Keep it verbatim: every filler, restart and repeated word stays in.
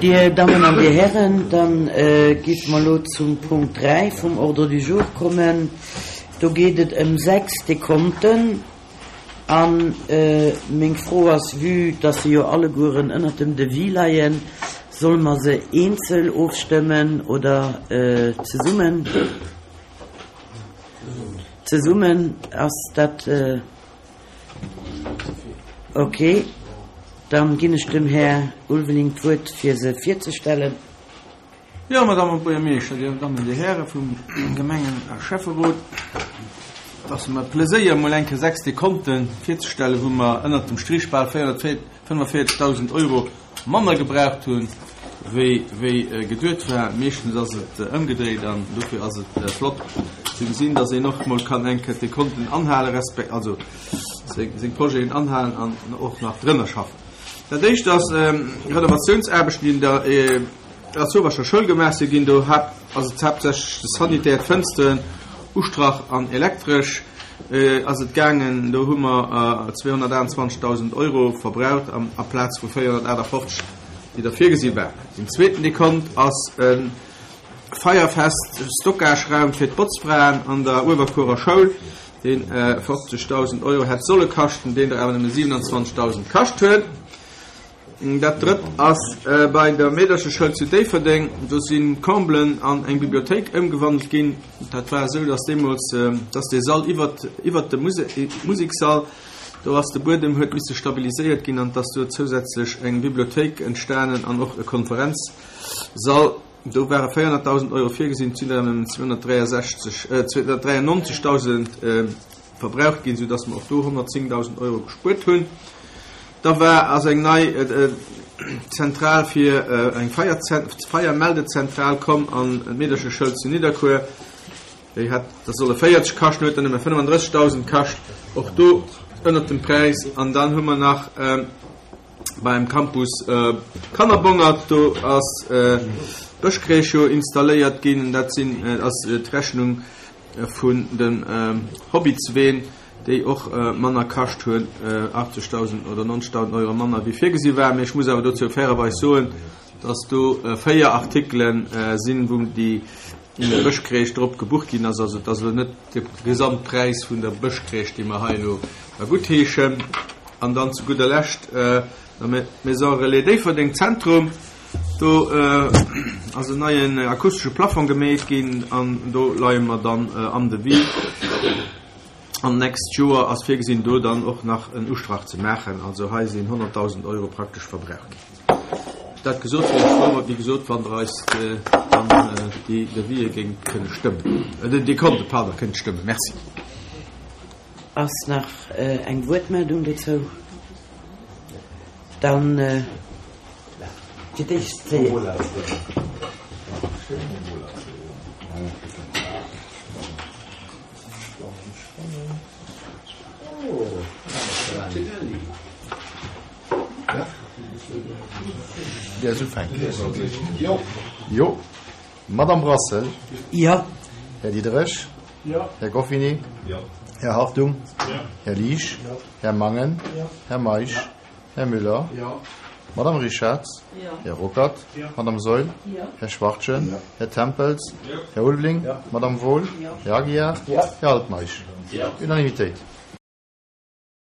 Dir Dammen an Dir Hären, dann géife mer elo zum Punkt dräi vum Ordre du jour kommen. Do geet et ëm sechs Dekonten. A meng Fro ass, vue dass se jo allegueren ënnert dem Devis leien, solle mer se eenzel ofstëmmen oder zesummen? Zesummen, ass dat okay? Dann ginn ech dem Här Ulveling d'Wuert, fir se virzestellen. Jo, Madame Buergermeeschter, Dir Dammen, Dir Häre vum Gemengen a Schäfferot, et ass mer e Pleséier, emol eng Kéier sechs Dekonte virzestellen, wou mer ënnert dem Strich bal véierhunnertfënnefvéierzegdausend Euro manner gebraucht hunn, wéi wéi geduet war. Meeschtens ass et ëmgedréit an dofir ass et flott ze gesinn, dass een och mol kann eng Kéier d'Dekonten anhalen, resp. Also seng seng Projeten anhalen an och nach drënner schaffen. Dat éischt ass Renovatiounsaarbechten, déi in der Erzurbacher Schoul gemaach si ginn. Do ass et haaptsächlech de Sanitär, d'Fënsteren, Ustrach an Elektresch ass et gaangen. Do hu mer zweehonnertaachtundzwanzegdausend Euro verbraucht amplaz vu véierhonnertaachtafoffzeg, déi der virgesi waren. Den zweeten Dekont ass e feierfest Stockageraum fir d'Botzfraen an der Uewerkuerer Schoul, dee fofzegdausend Euro hätt solle kaschten, deen der awer nëmme siwenanzwanzegdausend kascht huet. Dat drëtt ass bei der Meedercheschoul zu Déifferdeng. Do si Comblen an eng Bibliothéik ëmgewandelt ginn. Dat war esou, dass deemools, dass dee Sall iwwert, iwwert dem Musekssall, do ass de Buedem huet misse stabiliséiert ginn an dass do zousätzlech eng Bibliothéik entstanen an och e Konferenzsall. Do ware véierhonnertdausend Euro virgesinn, et sinn der nëmmen zweehonnertdräiasechzeg, zweehonnertdräiannonzegdausend verbraucht ginn, soudass mer och do honnertzéngdausend Euro gespuert hunn. Da war ass eng nei Zentral fir eng Feiermeldezentral komm an d'Meedercheschoul zu Nidderkuer. Déi hat da solle véierzeg kaschten, huet dann nëmme fënnefandrëssegdausend kascht, och do ënnert dem Präis. An dann hu mer nach beim Campus Kannerbongert, do ass Bëschcrèche jo installéiert ginn. Dat sinn ass d'Rechnung vun den Hobbitsween, déi och manner kascht hunn, achtzegdausend oder nonzegdausend Euro manner wéi virgesi war. Mee ech muss awer dozou fairerweis soen, dass do véier Artikele sinn, wou déi Bëschcrèche drop gebucht ginn ass. Also et ass elo net de Gesamtpräis vun der Bëschcrèche, dee mer hei elo da guttheeschen. An dann zu gudder Lescht der Maison Relais Déifferdeng Zentrum. Do ass en neien akustesche Plafong gemeet ginn an do leie mer dann am Devis. An d'nächst Joer ass virgesinn, do dann och nach en Ustrach ze maachen. Also hei sinn honnertdausend Euro praktesch verbraucht ginn. Dat gesot, wier ech frou, wéi gesot, wann Der eis dann déi Devisë géingt kënne stëmmen, déi Konte, pardon, kënnt stëmmen. Merci. Ass nach eng Wuertmeldung dozou? Dann fir d'éischt d'Léa. Jo. Madame Brassel. Jo. Här Diderich. Jo. Här Goffinet. Jo. Här Hartung. Jo. Här Liesch. Jo. Här Mangen. Jo. Här Meisch. Jo. Här Müller. Jo. Madame Richarz. Jo. Här Ruckert. Jo. Madame Saeul. Jo. Här Schwachtgen. Jo. Här Tempels. Jo. Här Ulveling. Jo. Madame Wohl. Jo. Här Aguiar. Jo. Här Altmeisch. Jo. Unanimitéit.